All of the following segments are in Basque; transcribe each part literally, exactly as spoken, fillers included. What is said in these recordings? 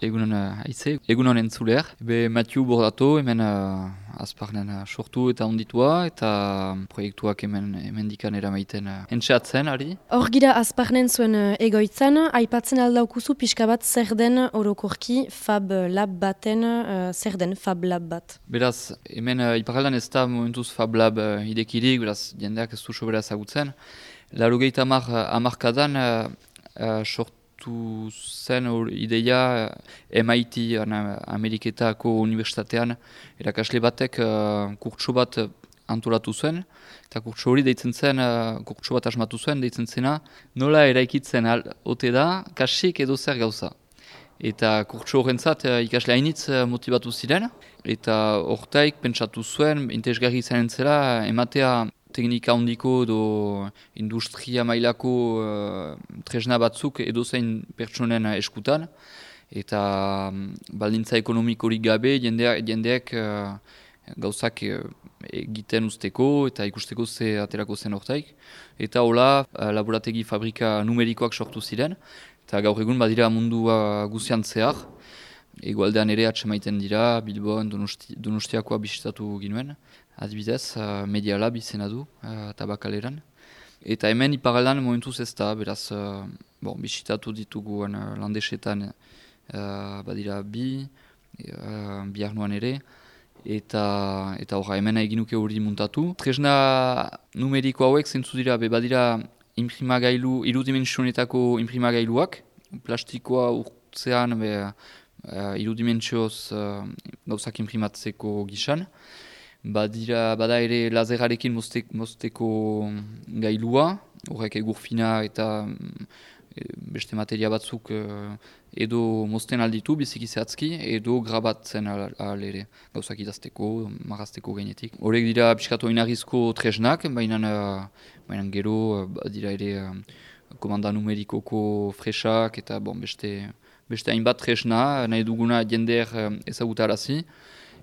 egunon uh, aize, egunon entzuleak. Be Mathieu Bordato, hemen uh, azparnen uh, sortu eta onditua, eta proiektuak hemen, hemen dikan eramaiten uh, entxeatzen, ari. Hor gira azparnen zuen uh, egoitzan, aipatzen aldaukuzu pixka bat zer den orokorki Fab Lab baten, uh, zer den Fab Lab bat? Beraz, hemen uh, iparaldan ez da momentuz Fab Lab uh, idekirik, beraz, jendeak ez du sobera ezagutzen. Larogeita amar, amarkadan uh, uh, sortu zen or, ideia M I T Ameriketako Unibertsitatean erakasle batek uh, kurtso bat antolatu zuen, eta kurtso hori deitzen zen, uh, kurtso bat asmatu zuen, deitzen zena, nola eraikitzen al, ote da, kasik edo zer gauza. Eta kurtso horrentzat uh, ikasle hainitz uh, motibatu ziren, eta hortaik pentsatu zuen, interesgarri izanen zela, ematea teknika handiko edo industria mailako uh, tresna batzuk edozein pertsonen eskutan, eta um, baldintza ekonomikorik gabe jendeak, jendeak uh, gauzak uh, egiten usteko eta ikusteko ze aterako zen hortaik. Eta hola uh, laborategi fabrika numerikoak sortu ziren, eta gaur egun badira mundua guzian zehar. Egoaldean ere atsemaiten dira, Bilboan, Donosti, Donostiakoa bisitatu ginuen. Adibidez, uh, Media Lab izena du, uh, tabakaleran. Eta hemen iparaldan momentuz ez da, beraz, uh, bon, bisitatu ditugu uh, landesetan uh, badira bi, uh, biharnoan ere, eta eta horra hemen eginuke hori muntatu. Tresna numeriko hauek zentzu dira, be badira imprimagailu, irudimentsionetako imprimagailuak, plastikoa urtzean, be, uh, irudimentsioz uh, gauzak imprimatzeko gisan. Badira, bada ere lazerarekin mozte, mozteko gailua, horrek egur fina eta e, beste materia batzuk e, edo mozten alditu biziki zehatzki, edo grabatzen al, al ere, gauzak idazteko, marrazteko gainetik. Horrek dira pixkatu oinarrizko tresnak, baina, baina gero badira ere komanda numerikoko fresak eta bon, beste, beste hainbat tresna, nahi duguna jender ezagutarazi.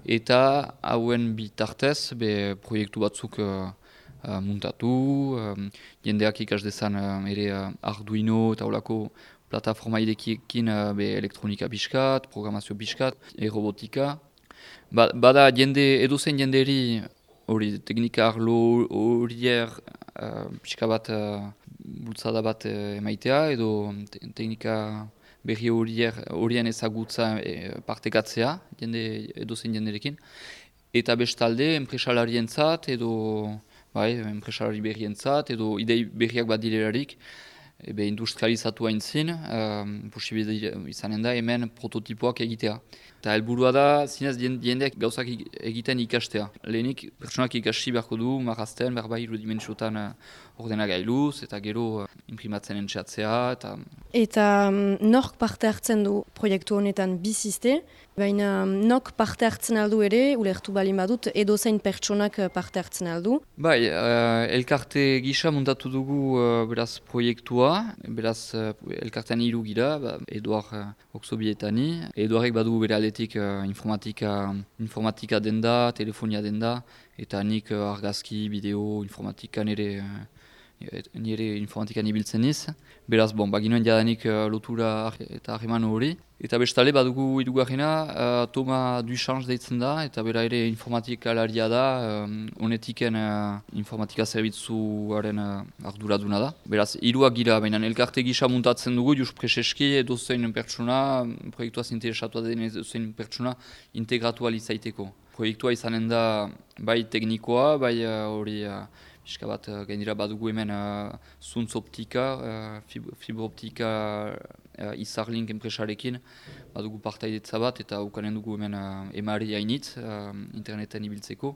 Eta hauen bitartez, be proiektu batzuk uh, uh, muntatu, um, jendeak ikas dezan uh, ere uh, Arduino eta holako plataforma idekiekin uh, be elektronika biskat, programazio biskat, e-robotika. Ba, bada jende, edozein jenderi hori teknika arlo horier uh, pixka bat uh, bultzada bat uh, emaitea, edo te teknika berri horien ezagutza e, partekatzea, jende, edozein jenderekin. Eta bestalde, enpresalarientzat edo bai, enpresalari berrientzat edo idei berriak badirelarik, ebe industrializatu hain zin, um, posibilitate izanen da hemen prototipoak egitea. Eta helburua da, zinez jendeak gauzak egiten ikastea. Lehenik, pertsonak ikasi beharko du, marrazten, berbai irudimentsiotan uh, ordenagailuz, eta gero uh, imprimatzen entxeatzea. Eta, eta um, nork parte hartzen du proiektu honetan bizizte, baina um, nork parte hartzen aldu ere, ulertu balin badut, edozein pertsonak parte hartzen aldu. Bai, uh, elkarte gisa montatu dugu uh, beraz proiektua, beraz uh, elkartean hiru gira, ba, Eduard uh, Oksobietani, Eduardek badugu bere aldetik uh, informatika, informatika denda, telefonia denda, eta nik uh, argazki, bideo, informatika nire, uh, nire informatikan ibiltzen niz. Beraz, bon, baginoen jadanik uh, lotura eta harreman hori. Eta bestale badugu hirugarrena, uh, Toma Duchange deitzen da, eta bera ere informatikalaria da, honetiken um, uh, informatika zerbitzuaren uh, arduraduna da. Beraz, hiruak gira, baina elkarte gisa muntatzen dugu, just preseski edozein pertsona, proiektuaz interesatua den edozein pertsona integratu alizaiteko. Proiektua izanen da bai teknikoa, bai hori uh, Piska bat, uh, gainera badugu hemen uh, zuntz optika, uh, fib fibroptika uh, izarlink enpresarekin, badugu partaidetza bat eta ukanen dugu hemen uh, emari hainitz uh, interneten ibiltzeko.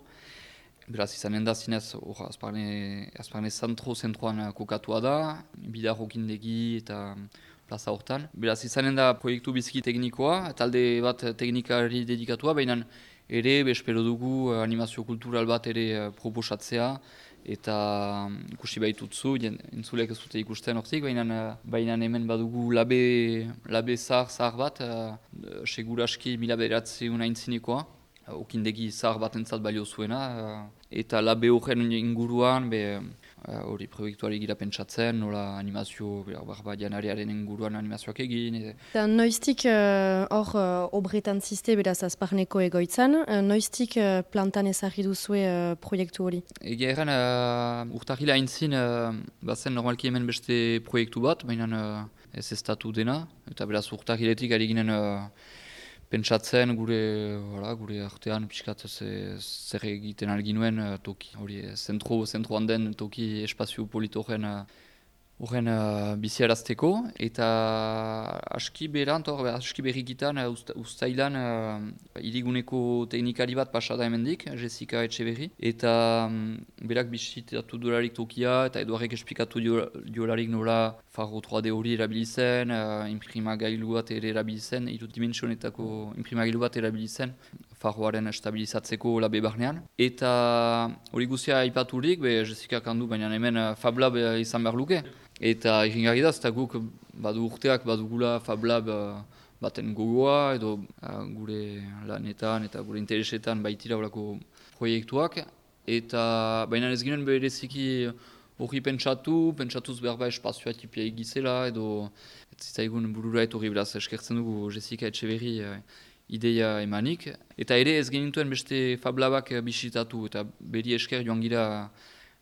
Beraz izanen da zinez, hor azparne, azparne zentro zentroan uh, kokatua da, bidar okindegi eta plaza hortan. Beraz izanen da proiektu biziki teknikoa, talde bat teknikari dedikatua, baina ere, bespero dugu uh, animazio kultural bat ere uh, proposatzea, eta ikusi baitutzu, entzulek ez dute ikusten hortik, baina hemen badugu labe, labe zahar zahar bat, uh, seguraski mila bederatzeun aintzinekoa, okindegi zahar bat entzat balio zuena, uh, eta labe horren inguruan, be, hori proiektuari gira pentsatzen, nola animazio, barba janariaren inguruan animazioak egin. Eta noiztik hor uh, obretan ziste beraz azparneko egoitzan, uh, noiztik uh, plantan ezagri duzue uh, proiektu hori? Egia erran, uh, urtahila aintzin, uh, bazen normalki hemen beste proiektu bat, baina uh, ez estatu dena, eta beraz urtahiletik ari ginen uh, pentsatzen gure, wala, gure artean pixkat zer egiten alginuen uh, toki, hori zentro, zentroan den toki espazio polito horren uh, horren uh, biziarazteko, eta aski berant, hor, aski berrikitan, uh, usta, ustailan uh, iriguneko teknikari bat pasada hemendik, Jessica Etxeberri, eta um, berak bisitatu dolarik tokia, eta Eduarrek esplikatu diolarik nola Faro trois D hori erabilizen, uh, imprimagailu bat ere erabilizen, hiru dimentsionetako imprimagailu bat erabilizen, Faroaren estabilizatzeko labe barnean. Eta hori guzia aipaturik, be Jessica kandu, baina hemen uh, Fab Lab uh, izan behar luke. Eta iringarri da, eta guk badu urteak badugula Fab Lab uh, baten gogoa, edo uh, gure lanetan eta gure interesetan baitira horako proiektuak. Eta baina ez ginen bereziki hori pentsatu, pentsatuz behar ba espazioa tipia egizela, edo ez zitzaigun burura etorri beraz eskertzen dugu Jessica Etxeberri uh, ideia emanik. Eta ere ez genituen beste Fab Labak bisitatu, eta beri esker joan gira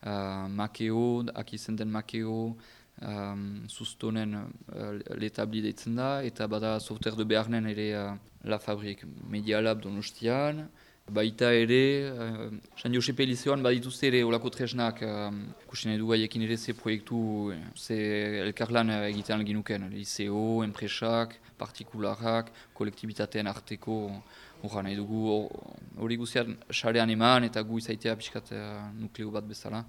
uh, Makeo, akizen den Makeo, Um, sustonen uh, letabli deitzen da, eta bada software de beharnen ere uh, La Fabrik Media Lab Donostian. Baita ere, uh, San Josepe Liceoan badituzte ere olako tresnak, uh, kusine du gaiekin ere ze proiektu, ze elkarlan egiten alginuken, liceo, enpresak, partikularak, kolektibitateen arteko, horra nahi dugu hori guzian sarean eman, eta gu izaitea pixkat uh, nukleo bat bezala.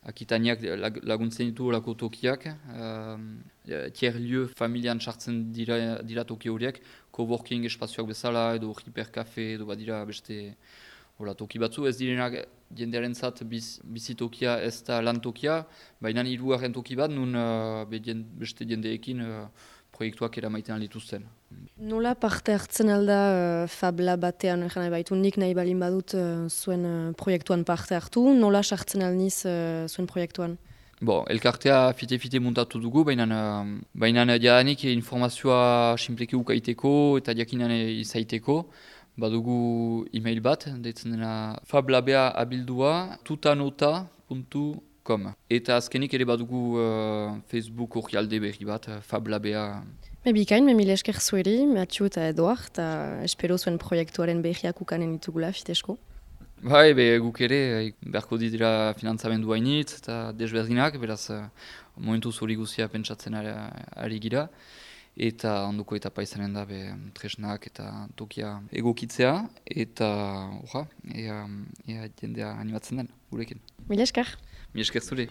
Akitaniak laguntzen ditu horako tokiak, uh, tiers-lieu familian sartzen dira, dira toki horiek, coworking espazioak bezala edo hiperkafe edo badira beste hola, toki batzu. Ez direnak jendearen zat biz, bizitokia ez da lan tokia, baina hirugarren toki bat nun uh, beste jendeekin uh, proiektuak eramaiten dituzten. Nola parte hartzen alda uh, Fab Lab batean, jana baitu nik nahi balin badut uh, zuen uh, proiektuan parte hartu, nola sartzen alniz uh, zuen proiektuan? Bo, elkartea fite-fite muntatu dugu, baina uh, baina jadanik informazioa simpleki ukaiteko eta jakinan izaiteko. Badugu e-mail bat, deitzen dena fablabea abildua tutanota puntu com. Eta azkenik ere badugu uh, Facebook orrialde berri bat, fablabea. Me bikain, me mile esker zueri, Mathieu eta Eduard, eta espero zuen proiektuaren berriak ukanen ditugula, fitesko. Bai, be, guk ere, beharko dira finantzamendu hainitz eta desberdinak, beraz momentuz hori guzia pentsatzen ari, ari gira. Eta onduko etapa izanen da be, tresnak eta tokia egokitzea, eta orra, ea, ea jendea animatzen den gurekin. Mile esker. Mile esker zure.